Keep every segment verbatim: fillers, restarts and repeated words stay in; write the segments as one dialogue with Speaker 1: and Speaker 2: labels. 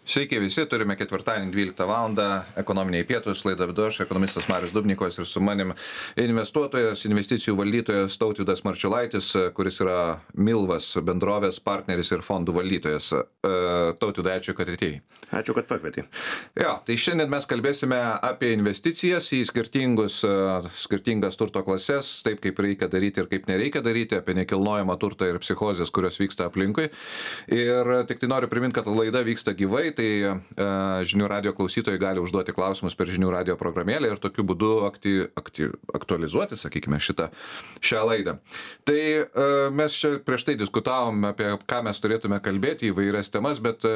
Speaker 1: Sveiki visi, turime ketvirtadienį dvyliktą valandą ekonominiai pietus, laidą vedu aš, ekonomistas Marius Dubnikovas ir su manim investuotojas, investicijų valdytojas Tautvydas Marčiulaitis, kuris yra Milvas bendrovės partneris ir fondų valdytojas. Tautvydai, ačiū, kad atėjai.
Speaker 2: Ačiū, kad pakvietei.
Speaker 1: Jo, tai šiandien mes kalbėsime apie investicijas į skirtingus, skirtingas turto klases, taip kaip reikia daryti ir kaip nereikia daryti, apie nekilnojamą turtą ir psichozės, kurios vyksta aplinkui. Ir tik tai noriu priminti, kad laida vyksta gyvai, tai e, žinių radio klausytojai gali užduoti klausimus per žinių radio programėlę ir tokiu būdu akti, akti, aktualizuoti, sakykime, šitą, šią laidą. Tai e, mes čia prieš tai diskutavom apie ką mes turėtume kalbėti, įvairias temas, bet e,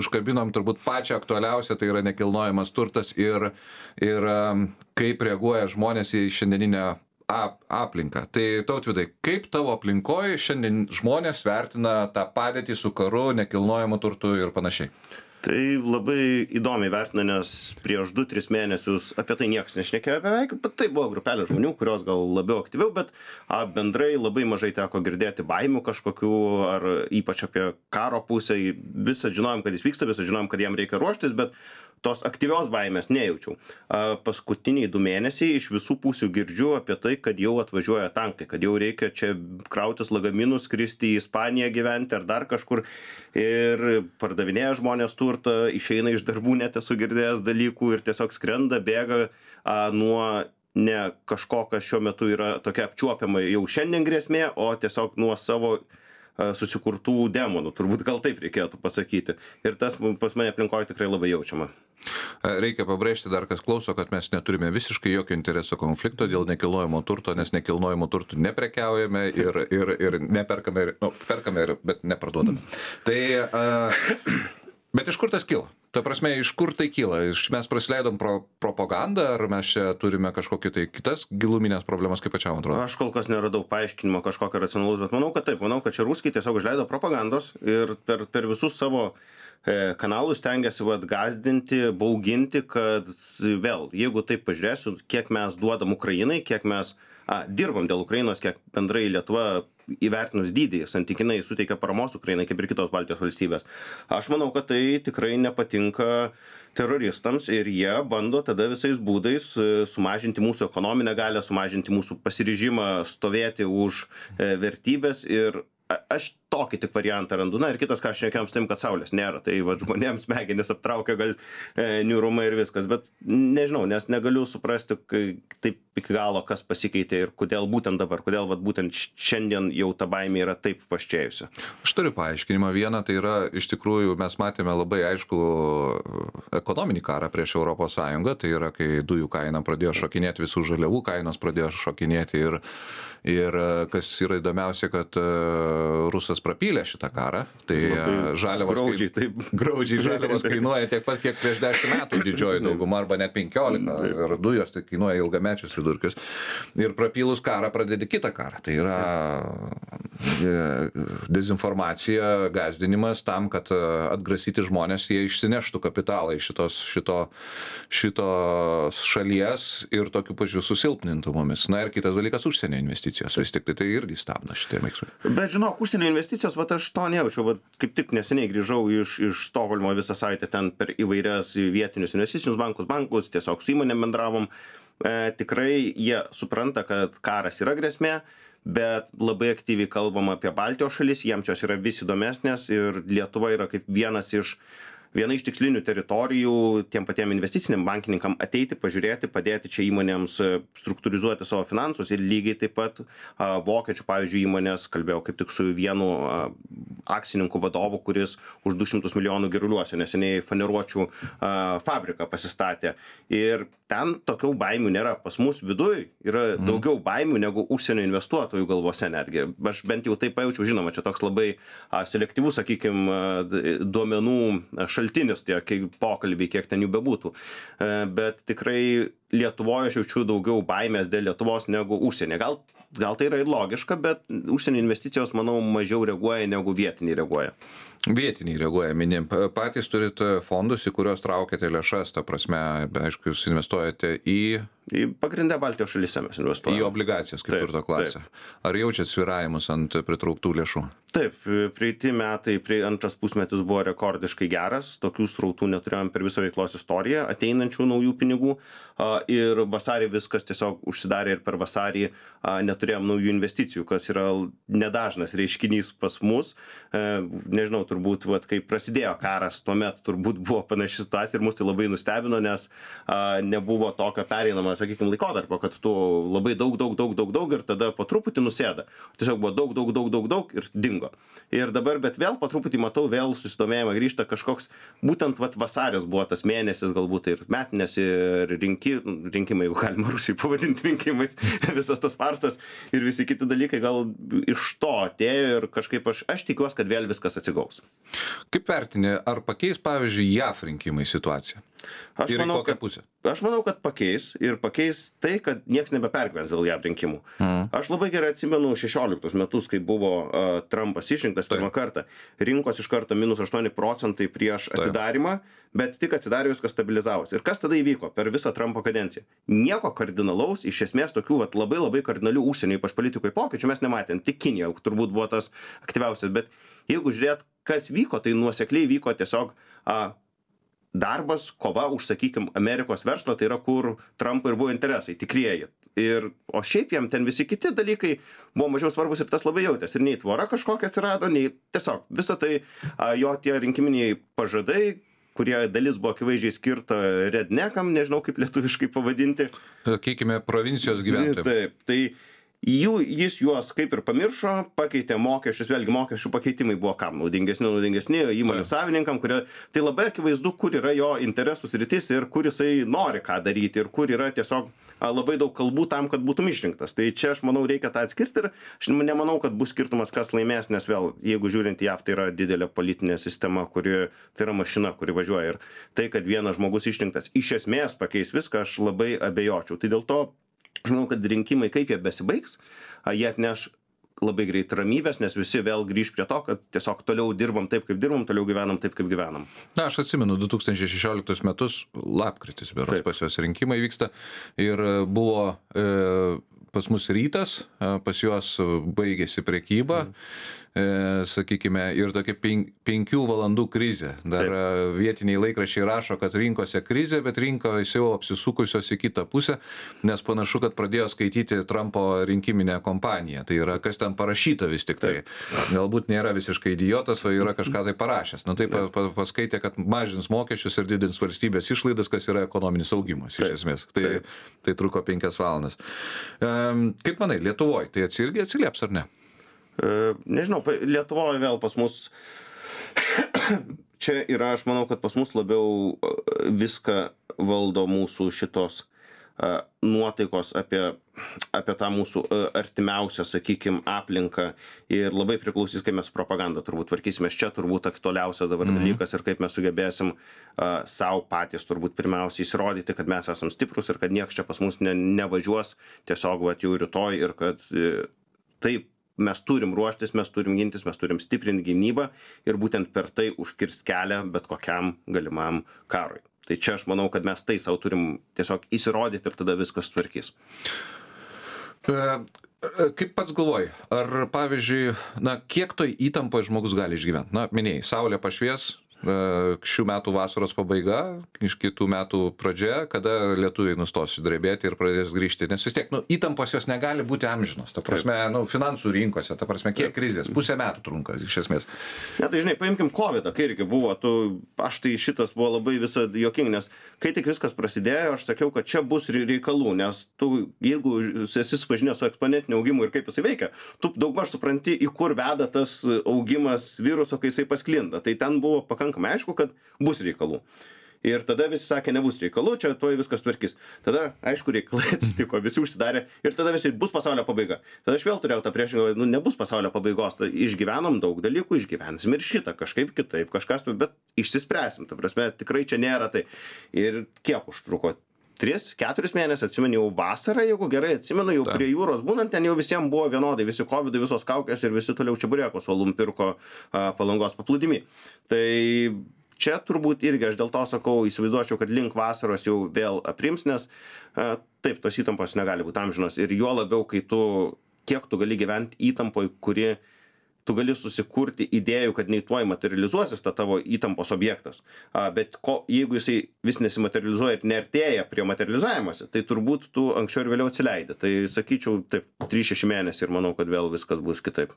Speaker 1: užkabinom turbūt pačią aktualiausią, tai yra nekilnojamas turtas ir, ir e, kaip reaguoja žmonės į šiandieninę aplinką. Tai Tautvydai, kaip tavo aplinkoje šiandien žmonės vertina tą padėtį su karu, nekilnojamu turtu ir panašiai?
Speaker 2: Tai labai įdomiai vertina, nes prieš du tris mėnesius apie tai niekas nešnekėjo beveik, bet tai buvo grupelė žmonių, kurios gal labiau aktyviau, bet a, bendrai labai mažai teko girdėti baimių kažkokių, ar ypač apie karo pusę. Visą žinojom, kad jis vyksta, visą žinojom, kad jam reikia ruoštis, bet tos aktyvios baimės nejaučiau. A, paskutiniai du mėnesiai iš visų pusių girdžiu apie tai, kad jau atvažiuoja tankai, kad jau reikia čia krautis lagaminus, skristi į Ispaniją gyventi ar dar kažkur. Ir pardavinėja žmonės turtą, išeina iš darbų, net esu girdėjęs dalykų ir tiesiog skrenda, bėga a, nuo ne kažko, kas šiuo metu yra tokia apčiuopiama jau šiandien grėsmė, o tiesiog nuo savo susikurtų demonų, turbūt gal taip reikėtų pasakyti. Ir tas pas mane aplinkoje tikrai labai jaučiama.
Speaker 1: Reikia pabrėžti dar, kas klauso, kad mes neturime visiškai jokio intereso konflikto dėl nekilnojamo turto, nes nekilnojamo turtų neprekiaujame ir, ir, ir neperkame, ir, nu, perkame, ir, bet neparduodame. Tai, uh, bet iš kur tas kilo? Ta prasme, iš kur tai kyla? Iš mes prasileidom pro propagandą, ar mes čia turime kažkokį tai kitas giluminės problemas, kaip pačiam atrodo?
Speaker 2: Aš kol kas neradau paaiškinimo kažkokio racionalaus, bet manau, kad taip. Manau, kad čia ruskiai tiesiog užleido propagandos ir per, per visus savo e, kanalus stengiasi vat gazdinti, bauginti, kad vėl, jeigu taip pažiūrėsiu, kiek mes duodam Ukrainai, kiek mes a, dirbam dėl Ukrainos, kiek bendrai Lietuva įvertinus dydį, santykinai suteikia paramos Ukrainai, kaip ir kitos Baltijos valstybės. Aš manau, kad tai tikrai nepatinka teroristams ir jie bando tada visais būdais sumažinti mūsų ekonominę galią, sumažinti mūsų pasiryžimą stovėti už vertybės ir aš tokį tik variantą randu. Na ir kitas, ką aš šnekėjom su tim, kad saulės nėra. Tai va, žmonėms smegenis aptraukia gal e, niūrumą ir viskas. Bet nežinau, nes negaliu suprasti kai, taip iki galo, kas pasikeitė ir kodėl būtent dabar, kodėl va, būtent šiandien jau ta baimė yra taip paščėjusi.
Speaker 1: Aš turiu paaiškinimą. Vieną, tai yra iš tikrųjų mes matėme labai aišku ekonominį karą prieš Europos Sąjungą. Tai yra, kai dujų kaina pradėjo šokinėti, visų žaliavų kainos pradėjo šokinėti ir, ir kas yra įdomiausia, kad Rusas prapylė šitą karą, tai žaliavos,
Speaker 2: graudžiai, taip.
Speaker 1: graudžiai žaliavos kainuoja tiek pat, kiek prieš dešimt metų didžioji dauguma, arba net penkiolika, ir dujos tai kainuoja ilgamečius vidurkius. Ir prapylus karą pradedi kitą karą. Tai yra dezinformacija, gazdinimas tam, kad atgrasyti žmonės, jie išsineštų kapitalą iš šitos, šito, šitos šalies ir tokiu pačiu susilpnintų mumis. Na ir kitas dalykas, užsienio investicijos. Vis tik tai, tai irgi stabdo šitie veiksmai.
Speaker 2: Bet žinok, užsienio investicijos, bet aš to nejaučiau, bet kaip tik neseniai grįžau iš, iš Stokholmo visą savaitę ten per įvairias vietinius investicinius bankus, bankus, tiesiog su įmonėm bendravom. E, tikrai jie supranta, kad karas yra grėsmė, bet labai aktyviai kalbam apie Baltijos šalis, jiems jos yra vis įdomesnės ir Lietuva yra kaip vienas iš viena iš tikslinių teritorijų tiem patiem investiciniam bankininkam ateiti, pažiūrėti, padėti čia įmonėms struktūrizuoti savo finansus ir lygiai taip pat a, vokiečių, pavyzdžiui, įmonės, kalbėjau kaip tik su vienu a, akcininku vadovu, kuris už du šimtus milijonų Giruliuose neseniai faneruočių a, fabriką pasistatė. Ir ten tokių baimių nėra. Pas mus viduj yra mm. daugiau baimių negu užsienio investuotojų galvose netgi. Aš bent jau taip pajaučiau, žinoma, čia toks labai a, selektyvus, sakykime, duomenų šaltinis, tie pokalbiai, kiek ten jų bebūtų. Bet tikrai Lietuvoje aš jaučiu daugiau baimės dėl Lietuvos negu užsienį. Gal, gal tai yra ir logiška, bet užsienio investicijos, manau, mažiau reaguoja negu vietiniai reaguoja.
Speaker 1: Vietiniai reaguoja, minim. Patys turite fondus, į kuriuos traukiate lėšas, ta prasme, aišku, jūs investuojate į...
Speaker 2: Į pagrindę Baltijos šalyse mes investuojame.
Speaker 1: Į obligacijas, kaip turto klasę. Ar jaučiat svyravimus ant pritrauktų lėšų?
Speaker 2: Taip, praeiti metai, prie antras pusmetis buvo rekordiškai geras, tokių srautų neturėjom per visą veiklos istoriją, ateinančių naujų pinigų ir vasarį viskas tiesiog užsidarė ir per vasarį neturėjom naujų investicijų, kas yra nedažnas reiškinys pas mus. Nežinau, turbūt, vat, kai prasidėjo karas, tuomet turbūt buvo panaši situacija ir mus tai labai nustebino, nes nebuvo tokio pereinamo, sakykime, laikotarpio, kad tu labai daug, daug, daug, daug, daug ir tada po truputį nusėda. Tiesiog buvo daug, daug, daug, daug, daug ir dingo. Ir dabar, bet vėl po truputį matau, vėl susidomėjimą grįžta kažkoks, būtent vat, vasaris buvo tas mėnesis, galbūt ir metinės, ir rinki, rinkimai, jeigu galima Rusijai pavadinti rinkimais, visas tas farsas ir visi kiti dalykai gal iš to atėjo ir kažkaip aš, aš tikiuosi, kad vėl viskas atsigaus.
Speaker 1: Kaip vertini, ar pakeis, pavyzdžiui, J A F rinkimai situaciją?
Speaker 2: Aš
Speaker 1: ir
Speaker 2: manau,
Speaker 1: kokią
Speaker 2: kad,
Speaker 1: pusę?
Speaker 2: Aš manau, kad pakeis ir pakeis tai, kad nieks nebepergyvens dėl J A V rinkimų. Mm. Aš labai gerai atsimenu šešioliktus metus, kai buvo uh, Trumpas išrinktas pirmą kartą. Rinkos iš karto minus aštuoni procentai prieš atidarimą, bet tik atsidarė viskas stabilizavosi. Ir kas tada įvyko per visą Trumpo kadenciją? Nieko kardinalaus, iš esmės tokių vat, labai labai kardinalių užsienio, ypač politikoje pokyčių mes nematėm. Tik Kinija turbūt buvo tas aktyviausias, bet jeigu žiūrėt, kas vyko, tai nuosekliai vyko tiesiog uh, darbas, kova už, sakykim, Amerikos verslą, tai yra, kur Trumpo ir buvo interesai, tikrieji. Ir, o šiaip jam ten visi kiti dalykai buvo mažiau svarbus ir tas labai jautės. Ir nei tvora kažkokia atsirado, nei tiesiog visą tai a, jo tie rinkiminiai pažadai, kurie dalis buvo akivaizdžiai skirta rednekam, nežinau kaip lietuviškai pavadinti.
Speaker 1: Sakykime, provincijos gyventojams.
Speaker 2: Taip, tai jų, jis juos kaip ir pamiršo, pakeitė mokesčius, vėlgi mokesčių pakeitimai buvo kam naudingesni, naudingesni įmonių savininkam, kurie, tai labai akivaizdu, kur yra jo interesų sritis ir kur jisai nori ką daryti ir kur yra tiesiog labai daug kalbų tam, kad būtum išrinktas. Tai čia aš manau reikia tą atskirti ir aš nemanau, kad bus skirtumas, kas laimės, nes vėl, jeigu žiūrint į J A V, tai yra didelė politinė sistema, kuri, tai yra mašina, kuri važiuoja ir tai, kad vienas žmogus išrinktas iš esmės pakeis viską, aš labai abejočiau. Tai dėl to aš manau, kad rinkimai, kaip jie besibaigs, jie atneš labai greit ramybės, nes visi vėl grįž prie to, kad tiesiog toliau dirbam taip, kaip dirbam, toliau gyvenam taip, kaip gyvenam.
Speaker 1: Na, aš atsimenu, du tūkstančiai šešioliktus metus, lapkritis, berods pas juos rinkimai vyksta ir buvo e, pas mus rytas, pas juos baigėsi prekyba, mm. e, sakykime, ir tokia pen, penkių valandų krizė. Dar Taip. Vietiniai laikraščiai rašo, kad rinkose krizė, bet rinkos jau apsisukusios į kitą pusę, nes panašu, kad pradėjo skaityti Trumpo rinkiminę kompaniją. Tai yra, kas ten parašyta vis tik tai. Taip. Galbūt nėra visiškai idiotas, o yra kažką tai parašęs. Nu, tai pa, pa, paskaitė, kad mažins mokesčius ir didins valstybės išlaidas, kas yra ekonominis augimas, Taip. Iš esmės. Tai, Taip. Tai truko penkias valandas. Um, kaip manai, Lietuvoje tai irgi atsilieps ar ne?
Speaker 2: E, nežinau, Lietuvoje vėl pas mus čia yra, aš manau, kad pas mus labiau viską valdo mūsų šitos uh, nuotaikos apie, apie tą mūsų uh, artimiausią, sakykime, aplinką ir labai priklausys, kaip mes propagandą turbūt tvarkysimės. Čia turbūt aktualiausia dabar mm-hmm. dalykas ir kaip mes sugebėsim uh, savo patys turbūt pirmiausiai įsirodyti, kad mes esam stiprus ir kad nieks čia pas mus ne, nevažiuos tiesiog vat, jau rytoj ir kad uh, taip mes turim ruoštis, mes turim gintis, mes turim stiprinti gynybą ir būtent per tai užkirst kelią bet kokiam galimam karui. Tai čia aš manau, kad mes tai savo turim tiesiog įsirodyti ir tada viskas tvarkys.
Speaker 1: Kaip pats galvoji, ar pavyzdžiui, na, kiek toj įtampoje žmogus gali išgyventi? Na, minėjai, saulė pašvies, šių metų vasaros pabaiga, iš kitų metų pradžia, kada lietuviai nustos drebėti ir pradės grįžti. Nes vis tiek, nu, įtampos jos negali būti amžinos. Ta prasme, nu, finansų rinkose, ta prasme, kiek krizės? Pusę metų trunka, iš esmės.
Speaker 2: Ne, tai žinai, paimkim kovidą, kai irgi buvo, tu, aš tai šitas buvo labai visą juoking, nes kai tik viskas prasidėjo, aš sakiau, kad čia bus reikalų, nes tu, jeigu esi supažinęs su eksponentiniu augimu ir kaip jisai veikia, tu daugmaž supranti, į kur veda tas augimas viruso, kai jisai pasklinda. Tai ten buvo pakankamai aišku, kad bus reikalų. Ir tada visi sakė, nebus reikalų, čia tuoj viskas tvarkys. Tada, aišku, reikalai atsitiko, visi užsidarė ir tada visi bus pasaulio pabaiga. Tada aš vėl turėjau tą priešingą, nu, nebus pasaulio pabaigos, tai išgyvenom daug dalykų, išgyvensim ir šitą kažkaip kitaip, kažkas, bet išsispręsim. Ta prasme, tikrai čia nėra tai. Ir kiek užtruko? tris keturis mėnesius, atsimenu jau vasarą, jeigu gerai atsimenu, jau
Speaker 1: Ta.
Speaker 2: prie jūros būnant, ten jau visiems buvo vienodai, visi kovidai, visos kaukės ir visi toliau čeburėkos uolum pirko a, Palangos paplūdimy. Tai čia turbūt irgi aš dėl to sakau, įsivaizduočiau, kad link vasaros jau vėl aprims, nes a, taip, tos įtampos negali būti amžinos ir juo labiau, kai tu, kiek tu gali gyventi įtampoj, kuri tu gali susikurti idėjų, kad nei tuoj materializuosis ta tavo įtampos objektas. A, bet ko, jeigu jisai vis nesimaterializuoja ir neartėja prie materializavimuose, tai turbūt tu anksčiau ir vėliau atsileidi. Tai sakyčiau, taip, trys šeši mėnesiai ir manau, kad vėl viskas bus kitaip.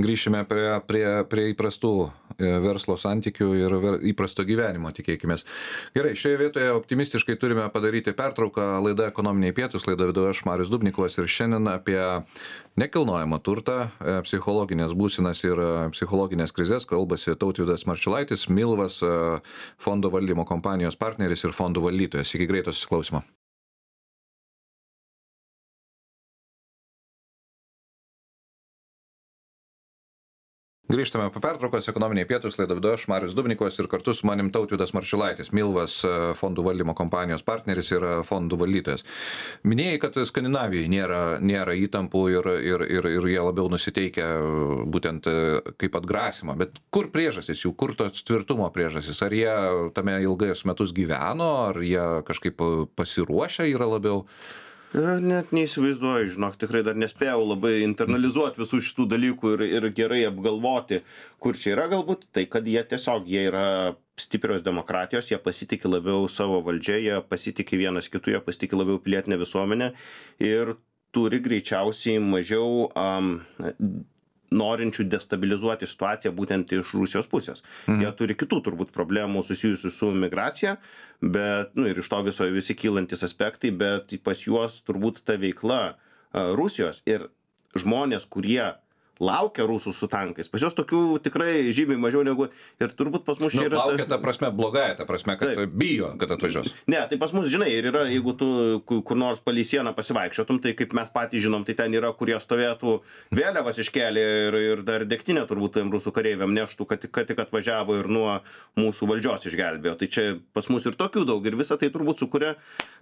Speaker 1: Grįšime prie, prie, prie įprastų verslo santykių ir ver, įprasto gyvenimo, tikėkimės. Gerai, šioje vietoje optimistiškai turime padaryti pertrauką. Laida Ekonominiai pietūs, laida vedu aš, Marius Dubnikovas, ir šiandien apie nekilnojamą turtą, psichologinės būsenas ir psichologinės krizės kalbasi Tautvydas Marčiulaitis, Milvas, fondo valdymo kompanijos partneris ir fondų valdytojas. Iki greito susiklausimo. Grįžtame po pertraukos, Ekonominiai pietūs, laidą vedu aš, Marius Dubnikovas, ir kartu su manim Tautvydas Marčiulaitis, Milvas, fondų valdymo kompanijos partneris ir fondų valdytojas. Minėjai, kad Skandinavijai nėra, nėra įtampų ir, ir, ir, ir jie labiau nusiteikia būtent kaip atgrasymą, bet kur priežastis jų, kur tos tvirtumo priežastis? Ar jie tame ilgais metus gyveno, ar jie kažkaip pasiruošę yra labiau?
Speaker 2: Net neįsivaizduoju, žinok, tikrai dar nespėjau labai internalizuoti visų šitų dalykų ir, ir gerai apgalvoti, kur čia yra galbūt, tai kad jie tiesiog, jie yra stiprios demokratijos, jie pasitikė labiau savo valdžią, jie pasitikė vienas kitų, jie pasitikė labiau pilietinę visuomenę ir turi greičiausiai mažiau um, norinčių destabilizuoti situaciją būtent iš Rusijos pusės. Mhm. Jie turi kitų turbūt problemų susijusių su migracija, bet, nu, ir iš to viso visi kylantis aspektai, bet pas juos turbūt ta veikla uh, Rusijos ir žmonės, kurie laukia rusų su tankais. Pas juos tokių tikrai žymiai mažiau negu ir turbūt pas mus čia
Speaker 1: nu,
Speaker 2: yra...
Speaker 1: Laukia ta prasme blogąja, ta prasme, kad taip. Bijo, kad atvažiuos.
Speaker 2: Ne, tai pas mus, žinai, ir yra, jeigu tu kur nors palei sieną pasivaikščiotum, tai kaip mes patys žinom, tai ten yra, kurie stovėtų vėliavas iškelė ir, ir dar degtinę turbūt tiem rusų kareiviam neštų, kad, kad tik atvažiavo ir nuo mūsų valdžios išgelbėjo. Tai čia pas mus ir tokių daug ir visą tai turbūt sukuria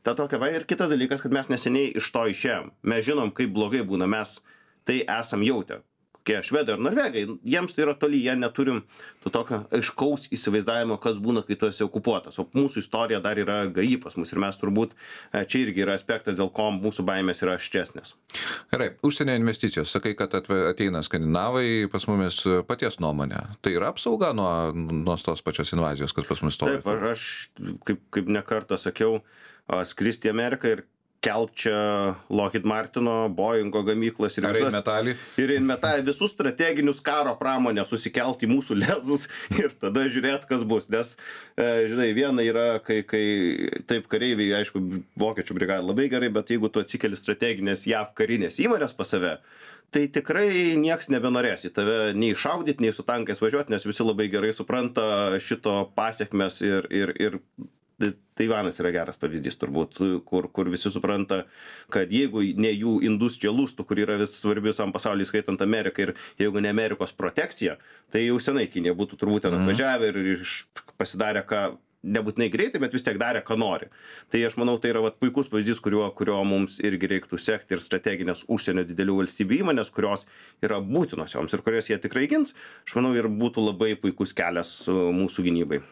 Speaker 2: tą tokią va. Ir kitas dalykas, kad mes neseniai iš to išėjom. Mes žinom, kaip blogai būna, mes tai esam jautę. Kokie švedai ar norvegai, jiems tai yra toli, jie neturim to tokio aiškaus įsivaizdavimo, kas būna, kai tu esi okupuotas. O mūsų istorija dar yra gaji pas mus ir mes turbūt, čia irgi yra aspektas, dėl ko mūsų baimės yra aštresnės.
Speaker 1: Gerai, užsienio investicijos. Sakai, kad ateina skandinavai, pas mumis paties nuomonė. Tai yra apsauga nuo, nuo tos pačios invazijos, kad pas mus stovi?
Speaker 2: Taip, aš kaip, kaip ne kartą sakiau, skristi į Ameriką ir kelt čia Lockheed Martino, Boeingo gamyklas ir visas,
Speaker 1: Rheinmetall.
Speaker 2: ir Rheinmetall, visus strateginius karo pramonę susikelt į mūsų lezus ir tada žiūrėt, kas bus. Nes, e, žinai, viena yra, kai, kai taip kareiviai, aišku, vokiečių brigada labai gerai, bet jeigu tu atsikeli strateginės J A V karinės įmonės pas save, tai tikrai nieks nebenorės į tave nei šaudyti, nei su tankais važiuoti, nes visi labai gerai supranta šito pasiekmes ir, ir, ir Taivanas yra geras pavyzdys turbūt, kur, kur visi supranta, kad jeigu ne jų industrija lustų, kur yra vis svarbi visam pasauliui, skaitant Ameriką, ir jeigu ne Amerikos protekcija, tai jau senai Kinija būtų turbūt ten atvažiavę ir, ir pasidarė, ką nebūtinai greitai, bet vis tiek darė, ką nori. Tai aš manau, tai yra vat, puikus pavyzdys, kurio, kurio mums irgi reiktų sekti ir strateginės užsienio didelių valstybių įmonės, kurios yra būtinos joms ir kurias jie tikrai gins, aš manau, ir būtų labai puikus kelias mūsų gynybai.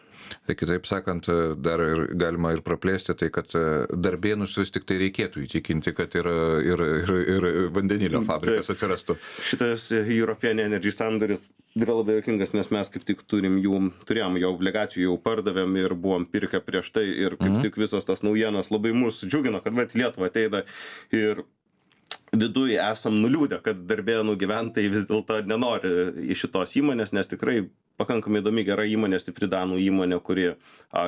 Speaker 1: Tai kitaip sakant, dar ir galima ir praplėsti, tai kad darbėnus vis tik tai reikėtų įtikinti, kad ir, ir, ir, ir vandenilio fabrikas atsirastų.
Speaker 2: Šitas European Energy sandoris yra labai jokingas, nes mes kaip tik turim jų, turėjom jau obligacijų, jau pardavėm ir buvom pirkę prieš tai ir kaip mhm. tik visos tas naujienos labai mus džiugino, kad vat Lietuva ateina ir viduje esam nuliūdę, kad darbėnų gyventojai vis dėlto nenori iš šitos įmonės, nes tikrai pakankamai įdomi gera įmonė, stipri danų įmonė, kuri a,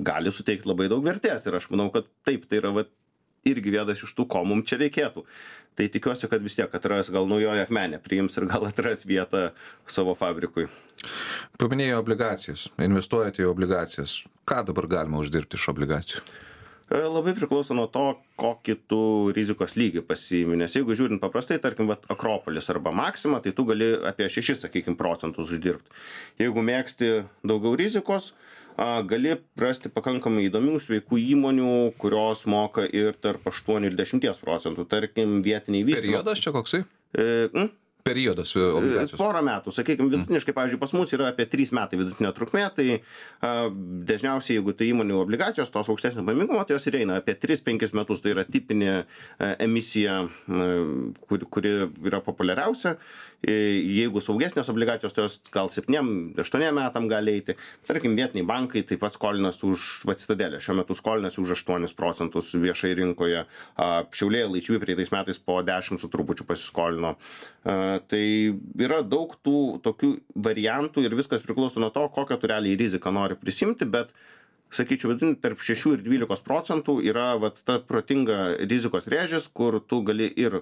Speaker 2: gali suteikti labai daug vertės ir aš manau, kad taip, tai yra va, irgi vienas iš tų, ko mums čia reikėtų. Tai tikiuosi, kad vis tiek atras gal naujoji akmenė priims ir gal atras vietą savo fabrikui.
Speaker 1: Paminėjai obligacijas, investuojate į obligacijas. Ką dabar galima uždirbti iš obligacijų?
Speaker 2: Labai priklauso nuo to, kokį tu rizikos lygį pasiimi, nes jeigu žiūrint paprastai, tarkim, vat, Akropolis arba Maxima, tai tu gali apie šešis, sakykime, procentus uždirbti. Jeigu mėgsti daugiau rizikos, gali rasti pakankamai įdomių, sveikų įmonių, kurios moka ir tarp aštuonių ir dešimties procentų, tarkim, vietiniai vystymo.
Speaker 1: Periodas čia koksai?
Speaker 2: E, mm?
Speaker 1: Periodas obligacijos.
Speaker 2: Porą metų, sakykime, vidutiniškai, pavyzdžiui, pas mus yra apie trys metai vidutinė trukmė, tai a, dažniausiai, jeigu tai įmonių obligacijos, tos aukštesnio pajamingumo, tai jos ir eina apie tris penkis metus, tai yra tipinė a, emisija, a, kuri, kuri yra populiariausia. E, jeigu saugesnės obligacijos, tai jos gal septyniem aštuoniem metam gali eiti. Tarkim, vietiniai bankai taip pat skolinasi už Citadelę, šiuo metu skolinasi už aštuonis procentus viešai rinkoje. A, Šiauliai Laičvi praeitais metais po dešimt su trupučiu pasiskolino. A, Tai yra daug tų tokių variantų ir viskas priklauso nuo to, kokią tu realiai riziką nori prisimti, bet, sakyčiau, tarp šešių ir dvylikos procentų yra vat, ta protinga rizikos rėžis, kur tu gali ir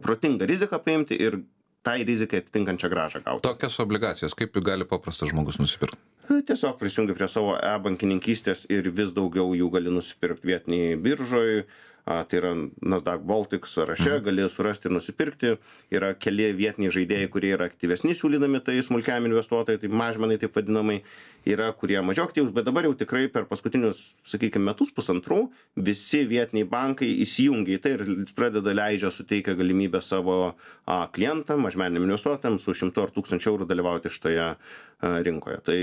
Speaker 2: protingą riziką paimti ir tai rizikai atitinkančią grąžą gauti.
Speaker 1: Tokias obligacijas, kaip gali paprastas žmogus nusipirkti?
Speaker 2: Tiesiog prisijungi prie savo e-bankininkystės ir vis daugiau jų gali nusipirkti vietiniai biržoj. A, tai yra Nasdaq Baltic sąraše, mhm. gali surasti ir nusipirkti. Yra keli vietiniai žaidėjai, kurie yra aktyvesni siūlydami tai smulkiam investuotojai, tai mažmenai taip vadinamai, yra kurie mažiau aktyvus, bet dabar jau tikrai per paskutinius, sakykime, metus pusantrų visi vietiniai bankai įsijungia į tai ir pradeda leidžia suteikia galimybę savo a, klientam, mažmeniniam investuotojams su šimtu ar tūkstančiu eurų dalyvauti šitoje a, rinkoje. Tai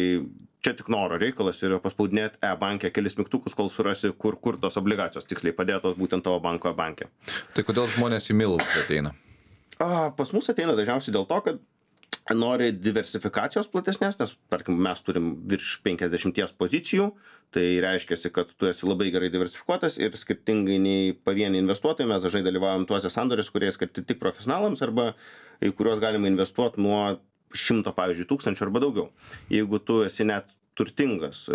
Speaker 2: čia tik noro reikalas ir paspaudinėti e-bankę kelis mygtukus, kol surasi, kur, kur tos obligacijos tiksliai padėtos būtent tavo banko e-banke.
Speaker 1: Tai kodėl žmonės į Milus ateina?
Speaker 2: A, pas mus ateina dažniausiai dėl to, kad nori diversifikacijos platesnės, nes, tarkim, mes turim virš penkiasdešimties pozicijų, tai reiškia, kad tu esi labai gerai diversifikuotas ir skirtingai nei pavieniai investuotojai, mes dažnai dalyvaujam tuose sandoriuose, kurie skirti tik profesionalams arba į kuriuos galima investuoti nuo šimto, pavyzdžiui, tūkstančių arba daugiau. Jeigu tu esi net turtingas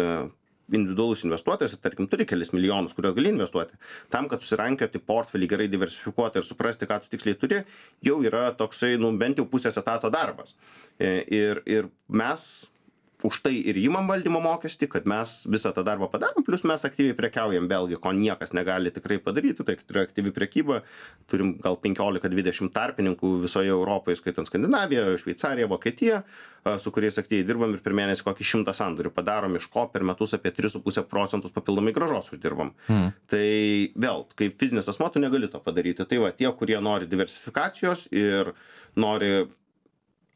Speaker 2: individualus investuotojas, tarkim, turi kelis milijonus, kuriuos gali investuoti, tam, kad susirankioti portfelį gerai diversifikuoti ir suprasti, ką tu tiksliai turi, jau yra toksai, nu, bent jau pusės etato darbas. Ir, ir mes už tai ir įmam valdymo mokestį, kad mes visą tą darbą padarom, plus mes aktyviai prekiaujam, vėlgi, ko niekas negali tikrai padaryti, tai yra aktyvi prekyba, turim gal penkiolika dvidešimt tarpininkų visoje Europoje, skaitant Skandinaviją, Šveicariją, Vokietiją, su kuriais aktyviai dirbam ir per mėnesį kokį šimtą sandorių padarom, iš ko per metus apie tris su puse procentus papildomai grąžos uždirbam. Hmm. Tai vėl, kaip fizinis asmuo, tu negali to padaryti. Tai va, tie, kurie nori diversifikacijos ir nori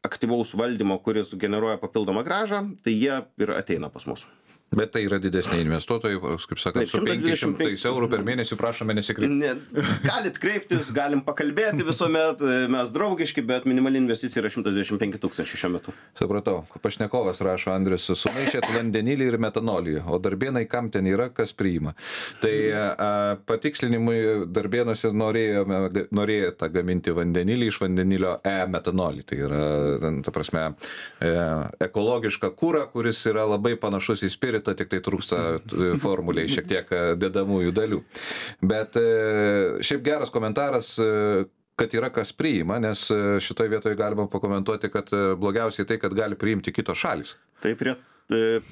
Speaker 2: aktyvaus valdymo, kuris generuoja papildomą grąžą, tai jie ir ateina pas mus.
Speaker 1: Bet tai yra didesni investuotojai, kaip sakant, su penkiais šimtais eurų per mėnesį prašome nesikreipti.
Speaker 2: Galit kreiptis, galim pakalbėti visuomet, mes draugiški, bet minimali investicija yra šimtas dvidešimt penki tūkstančiai šiuo metu.
Speaker 1: Supratau, pašnekovas rašo, Andrius, sumaišėt vandenilį ir metanolį, o darbėnai kam ten yra, kas priima. Tai a, patikslinimui darbėnuose norėjome, norėjote gaminti vandenilį iš vandenilio e-metanolį. Tai yra, ta prasme, e, ekologiška kūra, kuris yra labai panašus į spiritą, tik tai trūksta formuliai šiek tiek dedamųjų dalių. Bet šiaip geras komentaras, kad yra kas priima, nes šitoje vietoje galima pakomentuoti, kad blogiausiai tai, kad gali priimti kitos šalis.
Speaker 2: Tai prie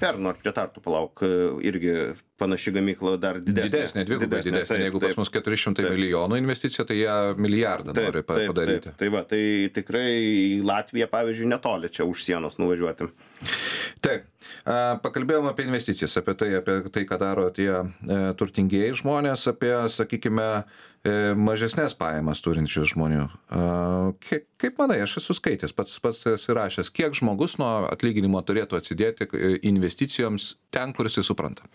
Speaker 2: Perno ar prie Tartu, palauk, irgi panaši gamykla dar didesnė.
Speaker 1: Didesnė, dvigubai didesnė. didesnė. Taip, Jeigu taip, pas mus keturi šimtai taip, milijonų investicija, tai jie milijardą taip, nori taip, padaryti.
Speaker 2: Taip, tai va, tai tikrai į Latviją, pavyzdžiui, netoli čia už sienos nuvažiuoti.
Speaker 1: Taip, pakalbėjom apie investicijas, apie tai, apie tai, ką daro tie e, turtingieji žmonės, apie, sakykime, e, mažesnės pajamas turinčius žmonių. E, kiek, kaip manai, aš esu skaitęs, pats pats esi rašęs, kiek žmogus nuo atlyginimo turėtų atsidėti investicijoms ten, kur jis supranta?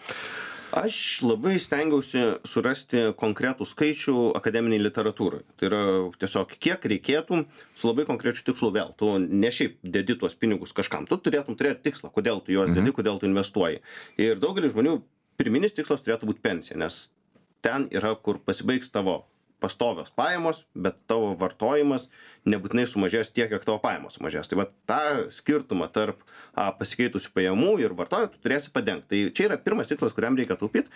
Speaker 2: Aš labai stengiausi surasti konkretų skaičių akademiniai literatūrai. Tai yra tiesiog kiek reikėtų su labai konkrečiu tikslu vėl. Tu ne šiaip dedi tuos pinigus kažkam. Tu turėtum turėti tikslą, kodėl tu juos dedi, kodėl tu investuoji. Ir daugelis žmonių pirminis tikslas turėtų būti pensija, nes ten yra, kur pasibaigs tavo pastovios pajamos, bet tavo vartojimas nebūtinai sumažės tiek, kiek tavo pajamos sumažės. Tai va tą skirtumą tarp a, pasikeitusių pajamų ir vartojimų tu turėsi padengti. Tai čia yra pirmas tikslas, kuriam reikia taupyti.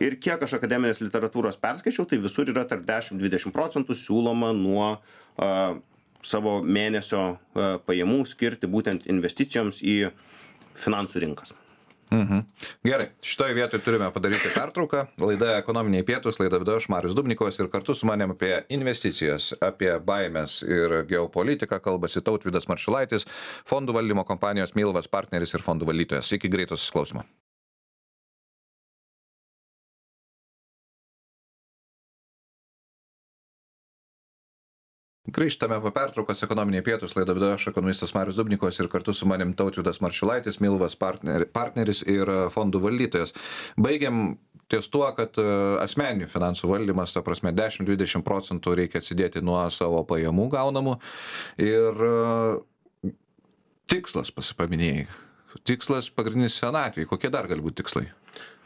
Speaker 2: Ir kiek aš akademinės literatūros perskaičiau, tai visur yra tarp dešimt dvidešimt procentų siūloma nuo a, savo mėnesio a, pajamų skirti būtent investicijoms į finansų rinkas.
Speaker 1: Mhm. Gerai, šitoje vietoje turime padaryti pertrauką. Laida Ekonominiai pietūs, laida vedu aš, Marius Dubnikovas, ir kartu su manim apie investicijas, apie baimės ir geopolitiką kalbasi Tautvydas Marčiulaitis, fondų valdymo kompanijos Milvas partneris ir fondų valdytojas. Iki greito susiklausimo. Grįžtame po pertraukos ekonominiai pietūs, laidą vedu aš, ekonomistas Marius Dubnikovas ir kartu su manim Tautvydas Marčiulaitis, Milvas partner, partneris ir fondų valdytojas. Baigiam ties tuo, kad asmeninių finansų valdymas, ta prasme, dešimt dvidešimt procentų reikia atsidėti nuo savo pajamų gaunamų ir tikslas pasipaminėjai. Tikslas pagrindinis senatvėj. Kokie dar gali būti tikslai?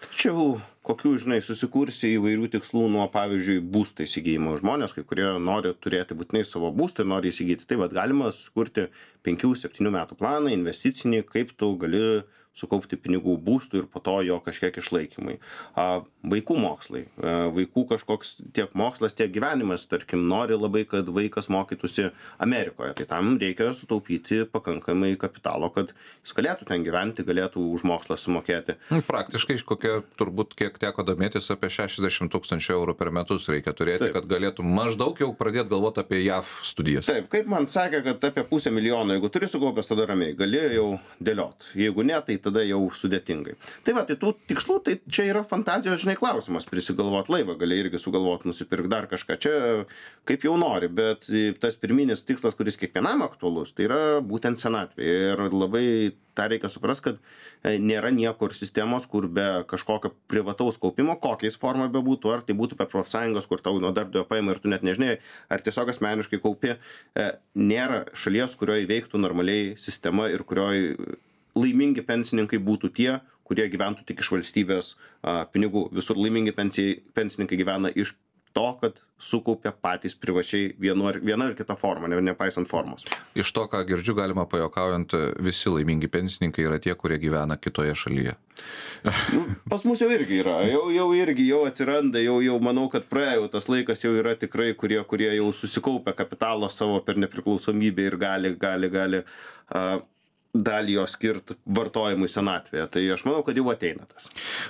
Speaker 2: Tačiau kokių, žinai, susikursi įvairių tikslų nuo, pavyzdžiui, būsto įsigijimo. Žmonės, kai kurie nori turėti būtinai savo būstą ir nori įsigyti. Tai vad galima sukurti penkių septynių metų planą investicinį, kaip tu gali sukaupti pinigų būstų ir po to jo kažkiek išlaikymai. A, vaikų mokslai. A, vaikų kažkoks tiek mokslas, tiek gyvenimas, tarkim, nori labai, kad vaikas mokytųsi Amerikoje. Tai tam reikia sutaupyti pakankamai kapitalo, kad jis galėtų ten gyventi, galėtų už mokslą sumokėti.
Speaker 1: Praktiškai iš kokia, turbūt, kiek teko domėtis, apie šešiasdešimt tūkstančių eurų per metus reikia turėti, taip, kad galėtų maždaug jau pradėti galvoti apie J A V studijas.
Speaker 2: Taip, kaip man sakė, kad apie pusę milijono, jeigu turi sukaupęs, tada ramiai, gali jau dėliot. Jeigu ne, tai tada jau sudėtingai. Tai va, tai tų tikslų, tai čia yra fantazijos, žinai, klausimas, prisigalvot laivą, gali irgi sugalvot, nusipirk dar kažką, čia kaip jau nori, bet tas pirminis tikslas, kuris kiekvienam aktualus, tai yra būtent senatvė. Ir labai tą reikia suprast, kad nėra niekur sistemos, kur be kažkokio privataus kaupimo, kokiais forma bebūtų, ar tai būtų per profsąjungos, kur tau nuo darbdavio paima ir tu net nežinai, ar tiesiog asmeniškai kaupi, nėra šalies, kurioje veiktų normaliai sistema ir kurioje laimingi pensininkai būtų tie, kurie gyventų tik iš valstybės a, pinigų. Visur laimingi pensijai, pensininkai gyvena iš to, kad sukaupia patys privačiai vienu ar, viena ar kita forma, ne, nepaisant formos.
Speaker 1: Iš to, ką girdžiu, galima pajuokaujant, visi laimingi pensininkai yra tie, kurie gyvena kitoje šalyje.
Speaker 2: Nu, pas mus jau irgi yra, jau, jau irgi jau atsiranda, jau, jau manau, kad praėjo tas laikas, jau yra tikrai, kurie, kurie jau susikaupia kapitalo savo per nepriklausomybę ir gali, gali, gali uh, dalį jo skirt vartojimui senatvėje. Tai aš manau, kad jau ateina tas.